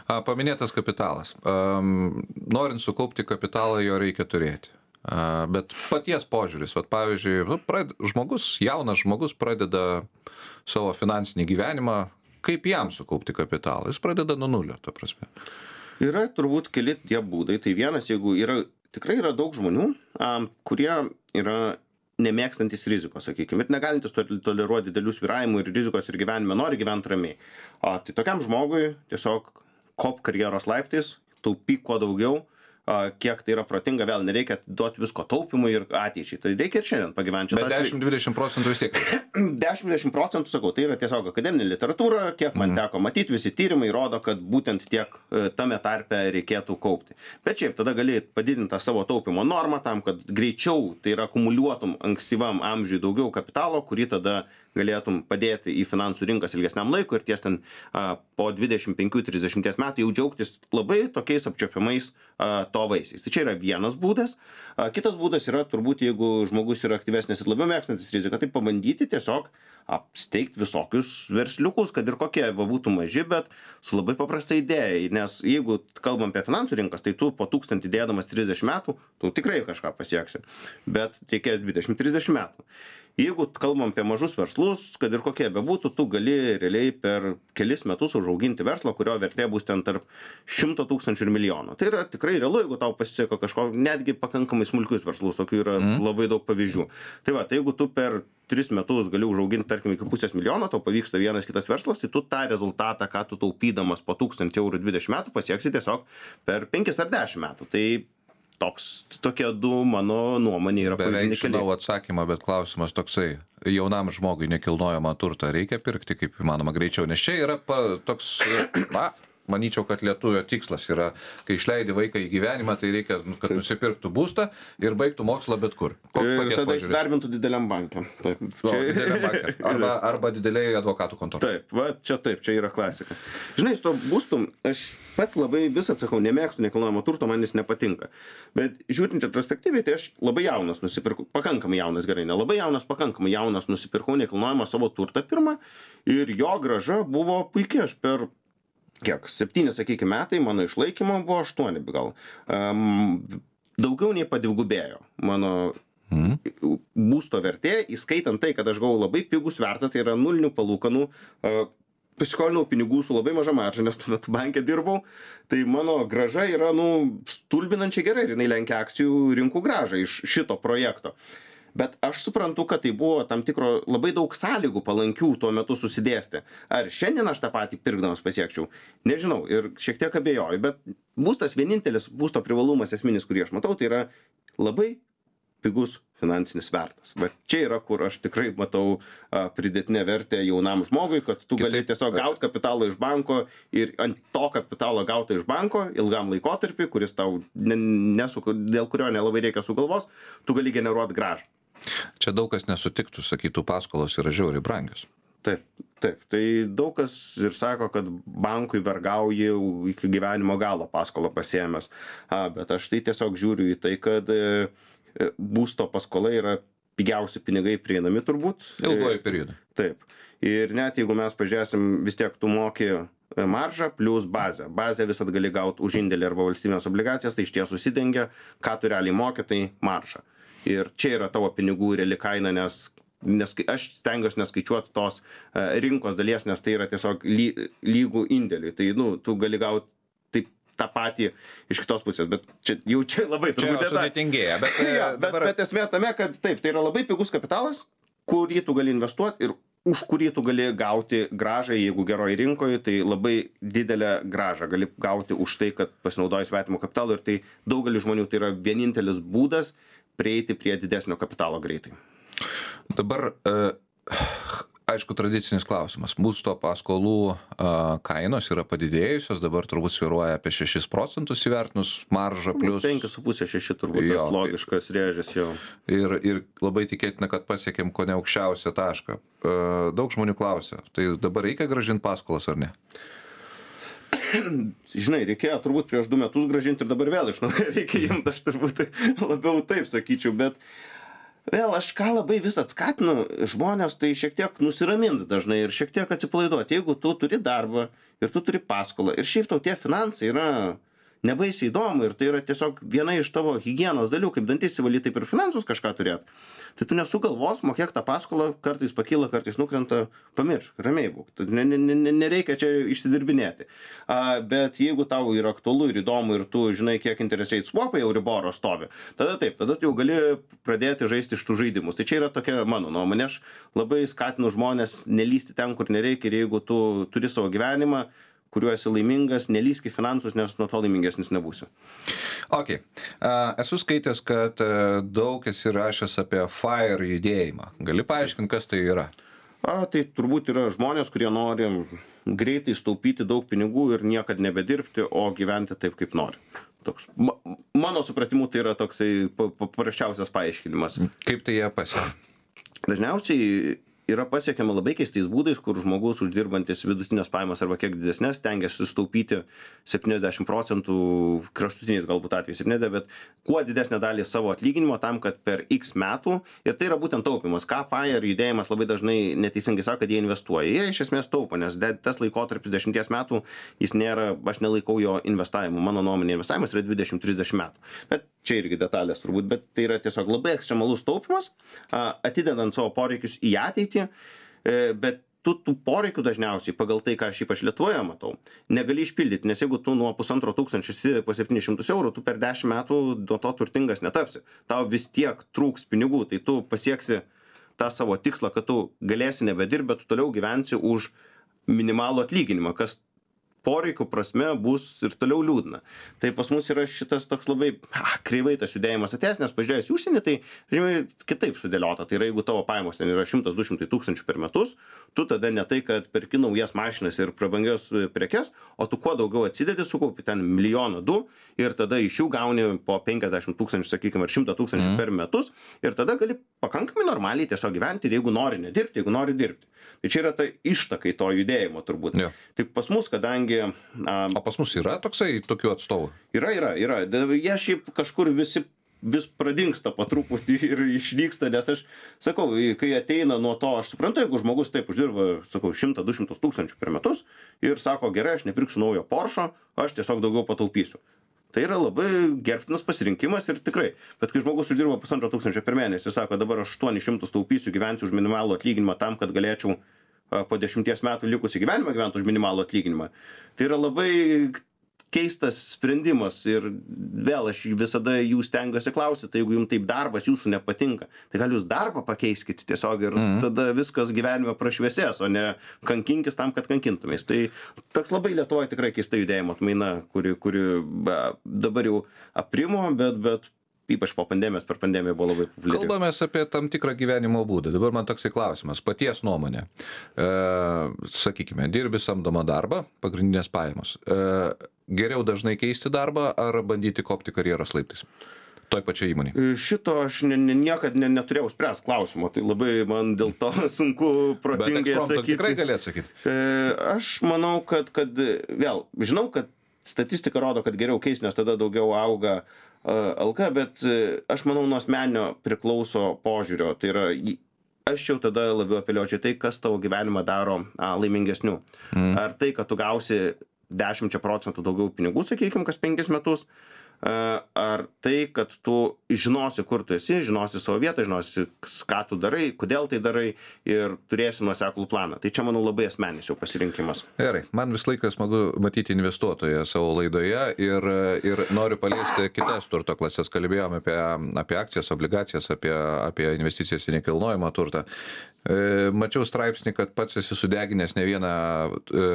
Speaker 1: A, paminėtas kapitalas. Um, norint sukaupti kapitalą, jo reikia turėti. A, bet paties požiūris, vat, pavyzdžiui, nu, prad, žmogus, jaunas žmogus pradeda savo finansinį gyvenimą, kaip jam sukaupti kapitalą? Jis pradeda nuo nulio, ta prasme.
Speaker 2: Yra turbūt keli tie būdai. Tai vienas, jeigu yra, tikrai yra daug žmonių, um, kurie yra nemėgstantis rizikos, sakykime, ir negalintis toleruoti didelių svyravimų ir rizikos ir gyvenime, nori gyventi ramiai. O, tai tokiam žmogui tiesiog kop karjeros laiptais, taupyk kuo daugiau, a, kiek tai yra protinga, vėl nereikia duoti visko taupimui ir ateičiai. Tai reikia ir šiandien pagyventi.
Speaker 1: Bet dešimt dvidešimt procentų vis tiek.
Speaker 2: dešimt dvidešimt procentų, sakau, tai yra tiesiog akademinė literatūra, kiek man teko matyti, visi tyrimai rodo, kad būtent tiek tame tarpe reikėtų kaupti. Bet šiaip tada gali padidinti savo taupimo normą tam, kad greičiau tai yra akumuliuotum ankstyvam amžiui daugiau kapitalo, kurį tada galėtum padėti į finansų rinkas ilgesniam laikui ir ties ten a, po dvidešimt penkių trisdešimt metų jau džiaugtis labai tokiais apčiuopiamais a, to vaisiais. Tai čia yra vienas būdas. A, kitas būdas yra turbūt, jeigu žmogus yra aktyvesnis ir labiau mėgstantis riziką, tai pabandyti tiesiog apsteigti visokius versliukus, kad ir kokie būtų maži, bet su labai paprasta idėja. Nes jeigu kalbam apie finansų rinkas, tai tu po tūkstantį dėdamas trisdešimt metų, tu tikrai kažką pasieksi. Bet reikės dvidešimt trisdešimt metų. Jeigu kalbam apie mažus verslus, kad ir kokie bebūtų, tu gali realiai per kelis metus užauginti verslą, kurio vertė bus ten tarp šimto tūkstančių ir milijono. Tai yra tikrai realu, jeigu tau pasiseka kažko, netgi pakankamai smulkius verslus, tokių yra mm. labai daug pavyzdžių. Tai va, tai jeigu tu per tris metus gali užauginti, tarkim, iki pusės milijono, tau pavyksta vienas kitas verslas, tai tu tą rezultatą, ką tu taupydamas po tūkstantį eurų dvidešimt metų, pasieksi tiesiog per penkis ar dešimt metų. Tai toks, tokie du mano nuomonė yra pagrindiniai keliai.
Speaker 1: Beveik žinau atsakymą, bet klausimas toksai. Jaunam žmogui nekilnojamą turtą reikia pirkti kaip įmanoma greičiau, nes čia yra pa, toks, na, manyčiau, kad lietuvio tikslas yra, kai išleidi vaiką į gyvenimą, tai reikia, kad taip. Nusipirktų būstą ir baigtų mokslą bet kur.
Speaker 2: Koks ir tada įsidarbintų dideliam banke. Taip.
Speaker 1: O, čia... dideliam banke. Arba, arba dideliai advokatų kontorai.
Speaker 2: Taip, va, čia taip, čia yra klasika. Žinai, su to būstu, aš pats labai vis atsakau, nemėgstu nekilnojamo turto, man jis nepatinka. Bet žiūrint retrospektyviai, tai aš labai jaunas nusipirkau, pakankamai jaunas, gerai, ne labai jaunas, pakankamai jaunas nusipirkau nekilnojamą savo turtą pirmą ir jo grąža buvo puikiai, aš per kiek, septyni, sakykime, metai, mano išlaikymo buvo aštuoni gal. Um, daugiau nei padvigubėjo mano mm. būsto vertė, įskaitant tai, kad aš gavau labai pigų svertą, tai yra nulinių palūkanų, uh, pasiskolinau pinigų su labai maža marža, nes tuo metu banke dirbau, tai mano grąža yra, nu, stulbinančiai gerai ir jinai lenkia akcijų rinkų grąžą iš šito projekto. Bet aš suprantu, kad tai buvo tam tikro labai daug sąlygų palankių tuo metu susidėsti. Ar šiandien aš tą patį pirkdamas pasiekčiau? Nežinau ir šiek tiek abejoju, bet būstas vienintelis būsto privalumas esminis, kurį aš matau, tai yra labai pigus finansinis svertas. Bet čia yra, kur aš tikrai matau a, pridėtinę vertę jaunam žmogui, kad tu gali tiesiog gauti kapitalą iš banko ir ant to kapitalo gauto iš banko ilgam laikotarpį, kuris tau ne, nesu, dėl kurio nelabai reikia sugalvos, tu gali generuoti gražą.
Speaker 1: Čia daug kas nesutiktų, sakytų, paskolos yra žiauriai brangios.
Speaker 2: Taip, taip. Tai daug kas ir sako, kad bankui vergauji iki gyvenimo galo paskolą pasiėmęs. A, bet aš tai tiesiog žiūriu į tai, kad e, būsto paskola yra pigiausi pinigai prieinami turbūt.
Speaker 1: Ilgoji periodai.
Speaker 2: Taip. Ir net jeigu mes pažiūrėsim, vis tiek tu moki maržą plus bazę. Bazę visat gali gauti už indėlį arba valstybinės obligacijas, tai iš ties susidengia, ką tu realiai moki, tai maržą. Ir čia yra tavo pinigų reali kaina, nes, nes aš stengiuosi neskaičiuoti tos rinkos dalies, nes tai yra tiesiog ly, lygų indėliui. Tai nu, tu gali gauti taip tą patį iš kitos pusės, bet čia jau čia labai turbūt
Speaker 1: sudėtingėja. Bet,
Speaker 2: ja, bet,
Speaker 1: dabar...
Speaker 2: bet esmė tame, kad taip, tai yra labai pigus kapitalas, kurį tu gali investuoti ir už kurį tu gali gauti gražą, jeigu geroji rinkoje, tai labai didelę gražą gali gauti už tai, kad pasinaudoji svetimo kapitalo ir tai daugelį žmonių tai yra vienintelis būdas prieiti prie didesnio kapitalo greitai.
Speaker 1: Dabar, aišku, tradicinis klausimas. Būsto paskolų kainos yra padidėjusios, dabar turbūt svyruoja apie šešis procentus įvertinus maržą plus...
Speaker 2: penki su puse šeši turbūt jo, tas logiškas rėžis jau.
Speaker 1: Ir, ir labai tikėtina, kad pasiekėm ko ne aukščiausią tašką. Daug žmonių klausia, tai dabar reikia grąžinti paskolas ar ne?
Speaker 2: Žinai, reikėjo turbūt prieš du metus grąžinti ir dabar vėl iš naujo reikia imti, aš turbūt labiau taip sakyčiau, bet vėl aš ką labai vis atskatinu žmonės, tai šiek tiek nusiraminti dažnai ir šiek tiek atsipalaiduoti. Jeigu tu turi darbą ir tu turi paskolą ir šiaip tau tie finansai yra nebaisiai įdomu ir tai yra tiesiog viena iš tavo higienos dalių, kaip dantis įvalyti, taip ir finansus kažką turėti. Tai tu nesugalvos, mokėk tą paskolą, kartais pakyla, kartais nukrenta, pamiršk, ramiai būk. Ne, ne, ne, nereikia čia išsidirbinėti. A, bet jeigu tau yra aktualu ir įdomu ir tu žinai, kiek interest rate swapai Euriboro stovi, tada taip, tada jau gali pradėti žaisti iš tų žaidimus. Tai čia yra tokia mano nuomonė. Aš labai skatinu žmonės nelysti ten, kur nereikia ir jeigu tu turi savo gyvenimą, kuriuo esi laimingas, nelysk į finansus, nes nuo to laimingesnis nebūsi.
Speaker 1: Ok. Uh, esu skaitęs, kad uh, daug esi rašęs apie FIRE judėjimą. Gali paaiškinti, kas tai yra?
Speaker 2: A, tai turbūt yra žmonės, kurie nori greitai staupyti daug pinigų ir niekad nebedirbti, o gyventi taip, kaip nori. Toks, ma, mano supratimu, tai yra toksai paprasčiausias paaiškinimas.
Speaker 1: Kaip tai jie pasiekia?
Speaker 2: Dažniausiai yra pasiekiama labai keistais būdais, kur žmogus uždirbantis vidutinės pajamas arba kiek didesnės stengiasi sutaupyti septyniasdešimt procentų, kraštutiniais galbūt atvejais septyniasdešimt, bet kuo didesnę dalį savo atlyginimo tam, kad per X metų, ir tai yra būtent taupimas, ką FIRE judėjimas labai dažnai neteisingai sako, kad jie investuoja. Jie iš esmės taupo, nes tas laikotarpis dešimties metų, jis nėra, aš nelaikau jo investavimu, mano nuomonė investavimas yra dvidešimt trisdešimt metų. Bet čia irgi detalės turbūt, bet tai yra tiesiog labai ekstremalus taupimas, atidedant savo poreikius į ateitį, bet tu tų poreikių dažniausiai pagal tai, ką aš ypač Lietuvoje matau, negali išpildyti, nes jeigu tu nuo pusantro tūkstančio įsidedi po septynis šimtus eurų, tu per dešimt metų nuo to turtingas netapsi. Tau vis tiek trūks pinigų, tai tu pasieksi tą savo tikslą, kad tu galėsi nebedirbti, bet tu toliau gyvensi už minimalų atlyginimą, kas poreikių prasme bus ir toliau liūdna. Tai pas mus yra šitas toks labai ah, kreivai tas judėjimas atėjęs, nes pažiūrėjus į užsienį, tai žinai, kitaip sudėliota. Tai yra, jeigu tavo pajamos ten yra šimtas du šimtai tūkstančių per metus, tu tada ne tai, kad perki naujas mašinas ir prabangias prekes, o tu kuo daugiau atsidedi, sukaupi ten milijoną du ir tada iš jų gauni po penkiasdešimt tūkstančių, sakykime, ar šimtą tūkstančių mm. per metus ir tada gali pakankamai normaliai tiesiog gyventi ir jeigu nori nedirbti, jeigu nori dirbti. Tai čia yra ta ištakai to judėjimo turbūt.
Speaker 1: Ja.
Speaker 2: Tik pas mus, kadangi... Um,
Speaker 1: o pas mus yra toksai tokių atstovų?
Speaker 2: Yra, yra, yra. Jie šiaip kažkur visi vis pradingsta po truputį ir išnyksta, nes aš sakau, kai ateina nuo to, aš suprantu, jeigu žmogus taip uždirba, sakau, šimtą du šimtus tūkstančių per metus ir sako, gerai, aš nepirksiu naujo Porsche, aš tiesiog daugiau pataupysiu. Tai yra labai gerbtinas pasirinkimas ir tikrai. Bet kai žmogus uždirba pusantro tūkstančio per mėnesį ir sako, dabar aš aštuonis šimtus taupysiu, gyvensiu už minimalų atlyginimą tam, kad galėčiau po dešimties metų likusį gyvenimą gyventi už minimalų atlyginimą. Tai yra labai keistas sprendimas ir vėl aš visada jų stengiuosi klausti, tai jeigu jums taip darbas jūsų nepatinka, tai gal jūs darbą pakeiskite tiesiog ir mm. tada viskas gyvenime prašviesės, o ne kankinkis tam, kad kankintumės. Tai toks labai Lietuvoje tikrai keista judėjimo atmaina, kuri, kuri be, dabar jau aprimo, bet, bet ypač po pandemijos, per pandemiją buvo labai populiari.
Speaker 1: Kalbamės apie tam tikrą gyvenimo būdą. Dabar man toksai klausimas, paties nuomonė. E, sakykime, dirbi samdomą darbą, pagrindinės pajamos. E, geriau dažnai keisti darbą ar bandyti kopti karjeros laiptais? Toj pačioj įmonėje.
Speaker 2: Šito aš ne, ne, niekad ne, neturėjau spręs klausimo, tai labai man dėl to sunku protingai atsakyti.
Speaker 1: Tikrai gali atsakyti.
Speaker 2: E, aš manau, kad, kad vėl, žinau, kad statistika rodo, kad geriau keisti, nes tada daugiau auga alga, bet aš manau, nuo asmeninio priklauso požiūrio. Tai yra, aš jau tada labiau apeliuočiau tai, kas tavo gyvenimą daro a, laimingesniu. Mm. Ar tai, kad tu gausi dešimt procentų daugiau pinigų, sakykime, kas penkis metus, ar tai, kad tu žinosi, kur tu esi, žinosi savo vietą, žinosi, ką tu darai, kodėl tai darai ir turėsi nuoseklų planą. Tai čia, manau, labai asmeninis jau pasirinkimas.
Speaker 1: Gerai, man vis laikas smagu matyti investuotoją savo laidoje ir, ir noriu paliesti kitas turto klasės. Kalbėjome apie, apie akcijas, obligacijas, apie, apie investicijas į nekilnojamą turtą. Mačiau straipsnį, kad pats esi sudeginęs ne vieną e,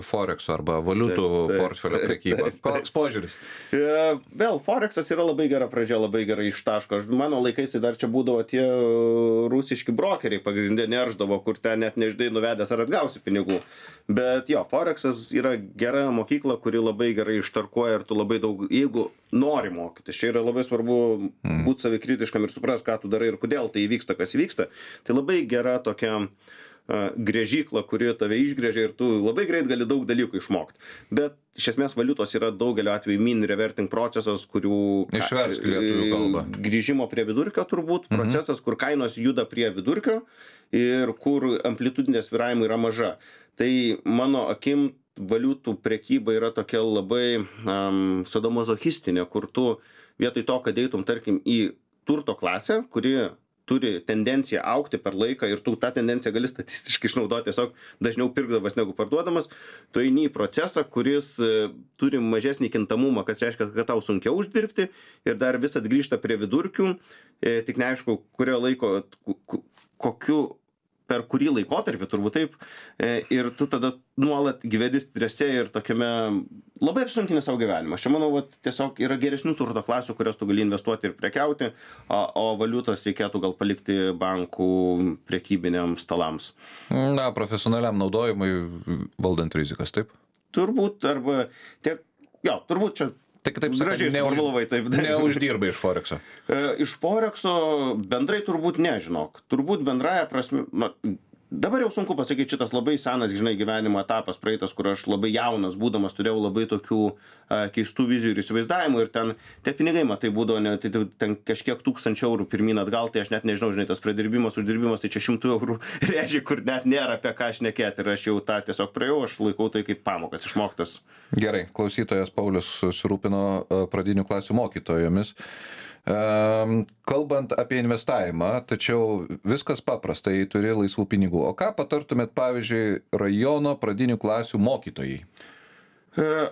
Speaker 1: Forex arba valiutų taip, taip, portfelio prekybą. Koks požiūris?
Speaker 2: E, vėl, Forexas yra labai gera pradžia, labai gerai ištaško. Mano laikais dar čia būdavo tie rusiški brokeriai pagrindė nerždavo, kur ten net nežinai nuvedęs ar atgausi pinigų. Bet jo, Forexas yra gera mokykla, kuri labai gerai ištarkuoja ir tu labai daug, jeigu nori mokytis. Čia yra labai svarbu mm. būti savikritiškam ir supras, ką tu darai ir kodėl tai įvyksta, kas įvyksta. Tai labai gera tokia uh, grėžykla, kuri tave išgrėžia ir tu labai greit gali daug dalykų išmokti. Bet iš esmės valiutos yra daugelio atveju mean reverting procesas, kurių
Speaker 1: išversk lietuvių kalbą.
Speaker 2: Grįžimo prie vidurkio turbūt mhm. procesas, kur kainos juda prie vidurkio ir kur amplitudinės svyravimai yra maža. Tai mano akim valiutų prekyba yra tokia labai um, sadomazochistinė, kur tu vietoj to, kad eitum, tarkim, į turto klasę, kuri turi tendenciją augti per laiką ir tu tą tendenciją gali statistiškai išnaudoti tiesiog dažniau pirkdamas negu parduodamas, tu eini į procesą, kuris e, turi mažesnį kintamumą, kas reiškia, kad tau sunkiau uždirbti ir dar vis atgrįžta prie vidurkių, e, tik neaišku, kurio laiko, kokiu per kurį laikotarpį, turbūt taip, ir tu tada nuolat gyveni strese ir tokiame labai apsunkinę savo gyvenimą. Aš manau, vat, tiesiog yra geresnių turto klasių, kurios tu gali investuoti ir prekiauti, o, o valiutos reikėtų gal palikti bankų prekybiniams stalams.
Speaker 1: Na, profesionaliam naudojimui valdant rizikas, taip?
Speaker 2: Turbūt, arba tiek, jo, turbūt čia
Speaker 1: tai kitaip sakant, neuž,
Speaker 2: taip,
Speaker 1: neuždirba iš Forexo.
Speaker 2: E, iš Forexo bendrai turbūt nežinok. Turbūt bendraja prasme, na, dabar jau sunku pasakyti, šitas labai senas, žinai, gyvenimo etapas praeitas, kur aš labai jaunas būdamas turėjau labai tokių a, keistų vizijų ir įsivaizdavimų ir ten tie pinigai, matai, būdavo ne, tai, ten kažkiek tūkstančių eurų pirmyn atgal, tai aš net nežinau, žinai, tas pradirbimas, uždirbimas, tai čia šimtų eurų režiai, kur net nėra apie ką šnekėti ir aš jau tą tiesiog praėjau, aš laikau tai kaip pamokas išmoktas.
Speaker 1: Gerai, klausytojas Paulius susirūpino pradinių klasių mokytojomis. Kalbant apie investavimą, tačiau viskas paprasta, jei turi laisvų pinigų. O ką patartumėt, pavyzdžiui, rajono pradinių klasių mokytojai?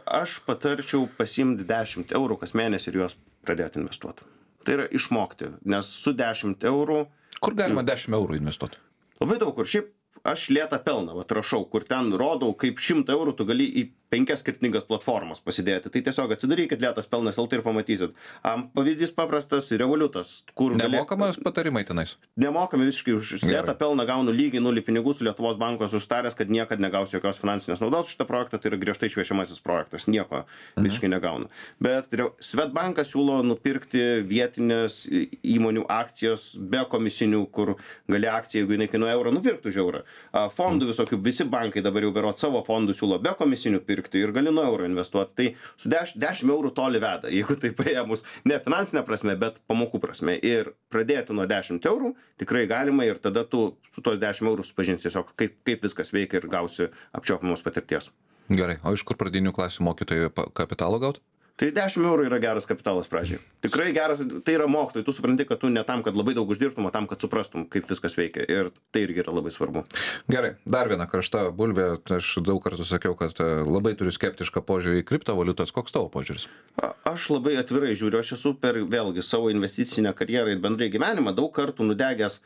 Speaker 2: Aš patarčiau pasiimti dešimt eurų kas mėnesį ir juos pradėti investuoti. Tai yra išmokti, nes su dešimt eurų...
Speaker 1: Kur galima dešimt eurų investuoti?
Speaker 2: Labai daug kur. Šiaip aš lėtą pelną, vat rašau, kur ten rodau, kaip šimtą eurų tu gali į penkias skirtingas platformas pasidėti. Tai tiesiog atsidarykit lėtas pelnas L T ir pamatysit. Am, pavyzdys paprastas, Revoliutas. Kur
Speaker 1: Nemokamas
Speaker 2: gali...
Speaker 1: patarimai tenais?
Speaker 2: Nemokami visiškai už lėtą pelną gaunu lygiai nulį pinigų su Lietuvos banko sustaręs, kad niekad negausiu jokios finansinės naudos už šitą projektą, tai yra griežtai šviečiamasis projektas, nieko mhm. visiškai negaunu. Bet Swedbankas siūlo nupirkti vietinės įmonių akcijos be komisinių, kur gali akciją, jeigu jinai kainuoja eurą, nupirktų už eurą. Fondų visokių, visi bankai dabar jau berot savo fondų siūlo be komisinių pirkti ir gali nuo euro investuoti. Tai su dešimt eurų toli veda, jeigu tai paėmus ne finansinė prasme, bet pamokų prasme. Ir pradėti nuo dešimt eurų tikrai galima ir tada tu su tos dešimt eurų supažinsi tiesiog, kaip, kaip viskas veikia ir gausi apčiuopiamos patirties.
Speaker 1: Gerai, o iš kur pradinių klasių mokytojai kapitalo gaut?
Speaker 2: Tai dešimt eurų yra geras kapitalas pradžiai. Tikrai geras, tai yra mokslai, tu supranti, kad tu ne tam, kad labai daug uždirbtum, o tam, kad suprastum, kaip viskas veikia. Ir tai irgi yra labai svarbu.
Speaker 1: Gerai, dar viena karšta bulvė. Aš daug kartų sakiau, kad labai turiu skeptišką požiūrį į kriptovaliutas. Koks tavo požiūris?
Speaker 2: Aš labai atvirai žiūriu, aš esu per vėlgi savo investicinę karjerą ir bendrai gyvenimą daug kartų nudegęs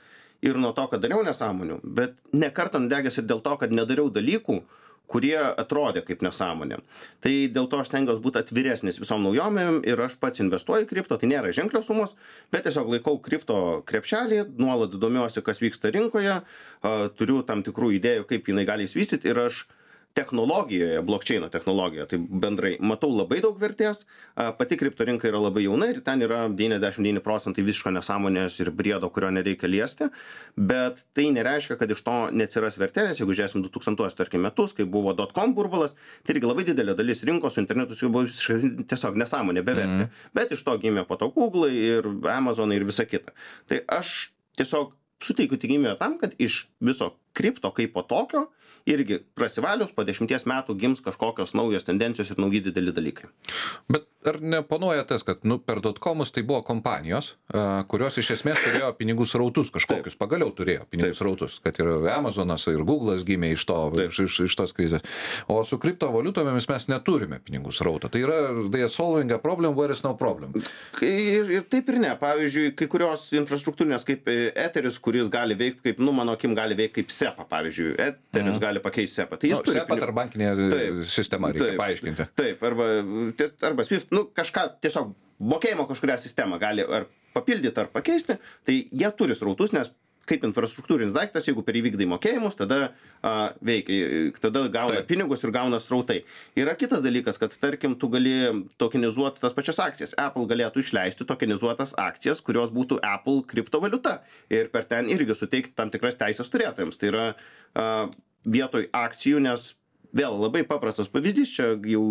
Speaker 2: ir nuo to, kad dariau nesąmonių, bet ne kartą nudegęs ir dėl to, kad nedariau dalykų, kurie atrodė kaip nesąmonė. Tai dėl to aš stengiuosi būti atviresnis visom naujomėm ir aš pats investuoju į kripto, tai nėra ženklios sumos, bet tiesiog laikau kripto krepšelį, nuolat domiuosi, kas vyksta rinkoje, turiu tam tikrų idėjų, kaip jinai gali įsivystyti ir aš technologijoje, blockchaino technologijoje, tai bendrai matau labai daug vertės, pati kripto rinka yra labai jauna ir ten yra devyniasdešimt devyni procentai visiško nesąmonės ir briedo, kurio nereikia liesti, bet tai nereiškia, kad iš to neatsiras vertės, jeigu žiūrėsim du tūkstantuosius tarkim metus, kai buvo dot-com burbulas, tai irgi labai didelė dalis rinkos su internetu jau buvo visiškai tiesiog nesąmonė, bevertė, mm. bet iš to gimė po to Google ir Amazon ir visa kita. Tai aš tiesiog suteikiu tikimybę tam, kad iš viso kripto kaip po tokio irgi prasivalius po dešimties metų gims kažkokios naujos tendencijos ir nauji dideli dalykai.
Speaker 1: Bet ar neponuoja tas, kad nu, per dotcomus tai buvo kompanijos, uh, kurios iš esmės turėjo pinigų srautus kažkokius, Taip. pagaliau turėjo pinigų Taip. srautus, kad ir Amazonas ir Google'as gimė iš, to, iš, iš, iš tos krizės. O su kriptovaliutomis mes neturime pinigų srauto. Tai yra, they are solving a problem where is no problem.
Speaker 2: Ir, ir taip ir ne. Pavyzdžiui, kai kurios infrastruktūrinės kaip Etheris, kuris gali veikti kaip, nu, mano akim gali veikti kaip SEPA, pavyzdžiui. Etheris mm. gali pakeisti SEPA. Tai jis
Speaker 1: no, SEPA
Speaker 2: pinigų...
Speaker 1: ar bankinė taip, sistema reikia taip, paaiškinti.
Speaker 2: Taip, arba, arba SWIFT, nu, kažką tiesiog mokėjimo kažkurią sistemą gali ar papildyti, ar pakeisti, tai jie turi srautus, nes kaip infrastruktūrinis daiktas, jeigu per įvykdai mokėjimus, tada a, veikia, tada gauna Taip. pinigus ir gauna srautai. Yra kitas dalykas, kad tarkim, tu gali tokenizuoti tas pačias akcijas. Apple galėtų išleisti tokenizuotas akcijas, kurios būtų Apple kriptovaliuta ir per ten irgi suteikti tam tikras teisės turėtojams. Tai yra a, vietoj akcijų, nes vėl labai paprastas pavyzdys, čia jau,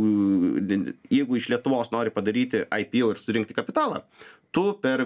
Speaker 2: jeigu iš Lietuvos nori padaryti I P O ir surinkti kapitalą, tu per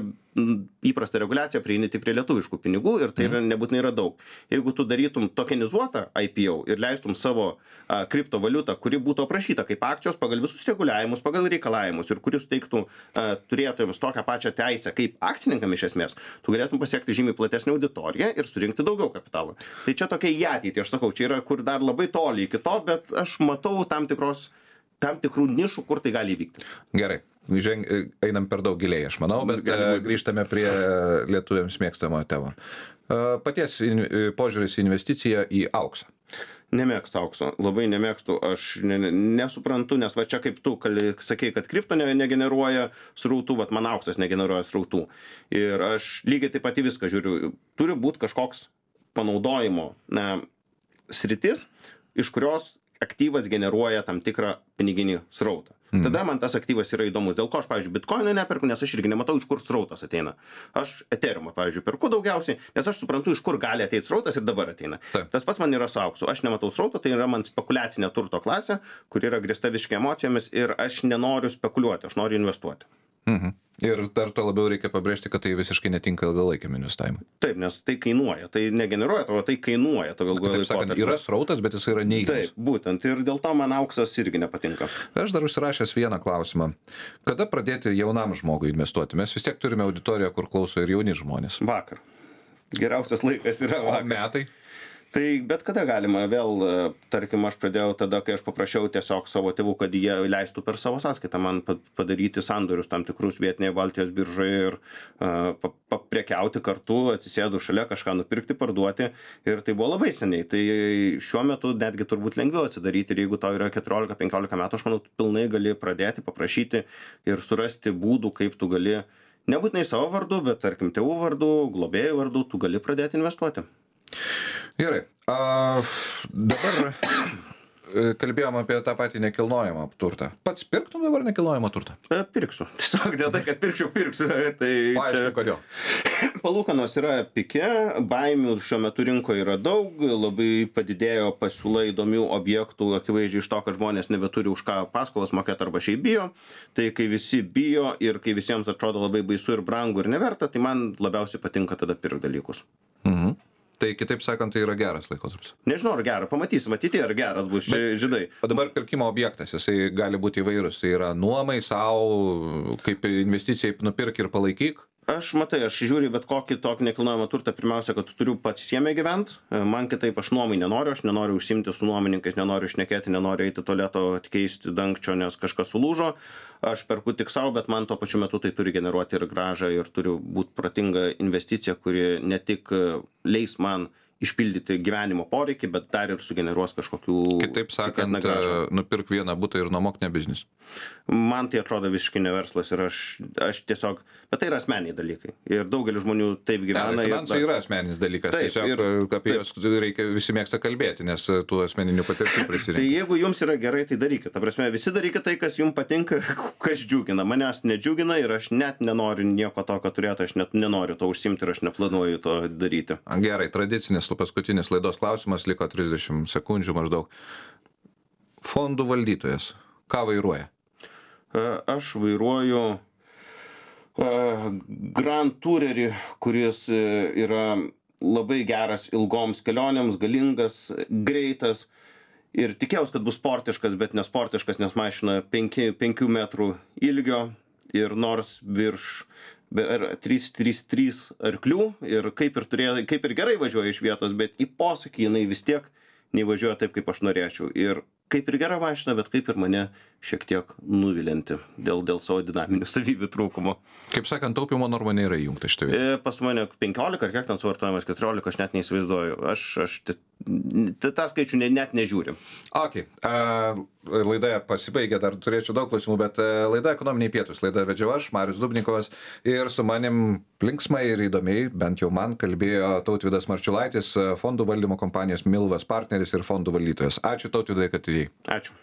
Speaker 2: įprastą reguliaciją prieini tik prie lietuviškų pinigų ir tai yra, nebūtinai yra daug. Jeigu tu darytum tokenizuotą I P O ir leistum savo a, kriptovaliutą, kuri būtų aprašyta kaip akcijos pagal visus reguliavimus, pagal reikalavimus ir kuris suteiktų a, turėtojams tokią pačią teisę kaip akcininkam iš esmės, tu galėtum pasiekti žymiai platesnę auditoriją ir surinkti daugiau kapitalo. Tai čia tokia į ateitį, aš sakau, čia yra kur dar labai toli iki to, bet aš matau tam tikros tam tikrų nišų, kur tai gali įvykti.
Speaker 1: Gerai. Ženg, einam per daug giliai, aš manau, bet Galima. grįžtame prie lietuviams mėgstamo temo. Paties in, požiūris į investiciją į auksą.
Speaker 2: Nemėgstu aukso, labai nemėgstu, aš ne, nesuprantu, nes va čia kaip tu kali, sakei, kad kripto ne, negeneruoja srautų, vat man auksas negeneruoja srautų. Ir aš lygiai taip pat į viską žiūriu. Turi būti kažkoks panaudojimo na, sritis, iš kurios aktyvas generuoja tam tikrą piniginį srautą. Mm. Tada man tas aktyvas yra įdomus. Dėl ko aš, pavyzdžiui, bitkoinų neperku, nes aš irgi nematau, iš kur srautas ateina. Aš Ethereumą, pavyzdžiui, perku daugiausiai, nes aš suprantu, iš kur gali ateiti srautas ir dabar ateina. Taip. Tas pats man yra su auksu. Aš nematau srauto, tai yra man spekuliacinė turto klasė, kur yra grįsta visiškai emocijomis ir aš nenoriu spekuliuoti, aš noriu investuoti.
Speaker 1: Mhm. Ir dar to labiau reikia pabrėžti, kad tai visiškai netinka ilgalaikiam investavimui.
Speaker 2: Taip, nes tai kainuoja, tai negeneruoja, o tai kainuoja to ilgalaikiu laikotarpiu.
Speaker 1: Yra srautas, bet jis yra neigiamas.
Speaker 2: Taip, būtent, ir dėl to man auksas irgi nepatinka.
Speaker 1: Aš dar užsirašęs vieną klausimą. Kada pradėti jaunam žmogui investuoti? Mes vis tiek turime auditoriją, kur klauso ir jauni žmonės.
Speaker 2: Vakar. Geriausias laikas yra vakar.
Speaker 1: O metai?
Speaker 2: Tai bet kada galima, vėl, tarkim, aš pradėjau tada, kai aš paprašiau tiesiog savo tėvų, kad jie leistų per savo sąskaitą man padaryti sandorius tam tikrus vietinėje Baltijos biržoje ir uh, paprekiauti kartu, atsisėdu šalia, kažką nupirkti, parduoti ir tai buvo labai seniai. Tai šiuo metu netgi turbūt lengviau atsidaryti ir jeigu tau yra keturiolika penkiolika metų, aš manau, tu pilnai gali pradėti, paprašyti ir surasti būdų, kaip tu gali, nebūtinai savo vardu, bet tarkim tėvų vardu, globėjų vardu, tu gali pradėti investuoti.
Speaker 1: Gerai. A, dabar kalbėjom apie tą patį nekilnojamą turtą. Pats pirktum dabar nekilnojamą turtą?
Speaker 2: E, pirksiu. Tiesiog dėl tai, kad pirkčiau, pirksiu. Tai
Speaker 1: Paaiškink, kodėl.
Speaker 2: Palūkanos yra pike, baimių šiuo metu rinkoje yra daug, labai padidėjo pasiūla įdomių objektų, akivaizdžiai iš to, kad žmonės nebeturi už ką paskolas mokėti arba šiaip bijo. Tai kai visi bijo ir kai visiems atrodo labai baisu ir brangu ir neverta, tai man labiausiai patinka tada pirkti dalykus.
Speaker 1: Mhm. Tai kitaip sakant, tai yra geras laikotarpis.
Speaker 2: Nežinau, ar gera, pamatysim, ateityje ar geras bus, čia žydai.
Speaker 1: O dabar pirkimo objektas, jisai gali būti įvairus, tai yra nuomai, savo, kaip investicijai nupirk ir palaikyk.
Speaker 2: Aš matai, aš žiūriu bet kokį tokį nekilnojamą turtą, pirmiausia, kad tu turiu pats jame gyventi, man kitaip aš nuomai nenoriu, aš nenoriu užsimti su nuomininkais, nenoriu šnekėti, nenoriu eiti tualeto atkeisti dangčio, nes kažkas sulūžo, aš perku tik savo, bet man tuo pačiu metu tai turi generuoti ir grąžą ir turi būti protinga investicija, kuri ne tik leis man išpildyti gyvenimo poreikį, bet dar ir sugeneruos kažkokių...
Speaker 1: Kitaip sakant, nupirk vieną butą ir nuomok ne biznis.
Speaker 2: Man tai atrodo visiškai ne verslas ir aš, aš tiesiog... Bet tai yra asmeniai dalykai. Ir daugelis žmonių taip gyvena.
Speaker 1: Ne, finansai ir, yra asmeninis dalykas. Taip, tiesiog ir, apie juos reikia, visi mėgsta kalbėti, nes tų asmeninių patirčių prisirinkia.
Speaker 2: Tai jeigu jums yra gerai, tai darykite. Ta prasme, visi darykite tai, kas jums patinka, kas džiugina. Manęs nedžiugina ir aš net nenoriu nieko tokio turėti, aš net nenoriu to užsimti ir aš neplanuoju to daryti.
Speaker 1: Gerai, tradicinis paskutinis laidos klausimas, liko trisdešimt sekundžių maždaug. Fondų valdytojas, ką vairuoja?
Speaker 2: Aš vairuoju Grand Tourerį, kuris yra labai geras ilgoms kelionėms, galingas, greitas ir tikėjausi, kad bus sportiškas, bet nesportiškas, nes mašina penkių metrų ilgio ir nors virš trys trys trys arklių ir kaip ir, turėjo, kaip ir gerai važiuoja iš vietos, bet į posūkį jinai vis tiek nevažiuoja taip, kaip aš norėčiau. Ir kaip ir gera mašina, bet kaip ir mane šiek tiek nuvilinti dėl, dėl savo dinaminių savybių trūkumo.
Speaker 1: Kaip sakant, taupimo norma nėra įjungta šitą vietą.
Speaker 2: E, pas mane penkiolika ar kiek ten suvartojamas, keturiolika, aš net neįsivaizduoju. Aš, aš tą skaičių ne, net nežiūrim.
Speaker 1: Ok. Uh, laida pasibaigė, dar turėčiau daug klausimų, bet uh, laida Ekonominiai pietūs. Laida vedžiau aš, Marius Dubnikovas, ir su manim linksmai ir įdomiai, bent jau man, kalbėjo Tautvydas Marčiulaitis, fondų valdymo kompanijos Milvas partneris ir fondų valdytojas. Ačiū Tautvydai, kad atėjai.
Speaker 2: Ačiū.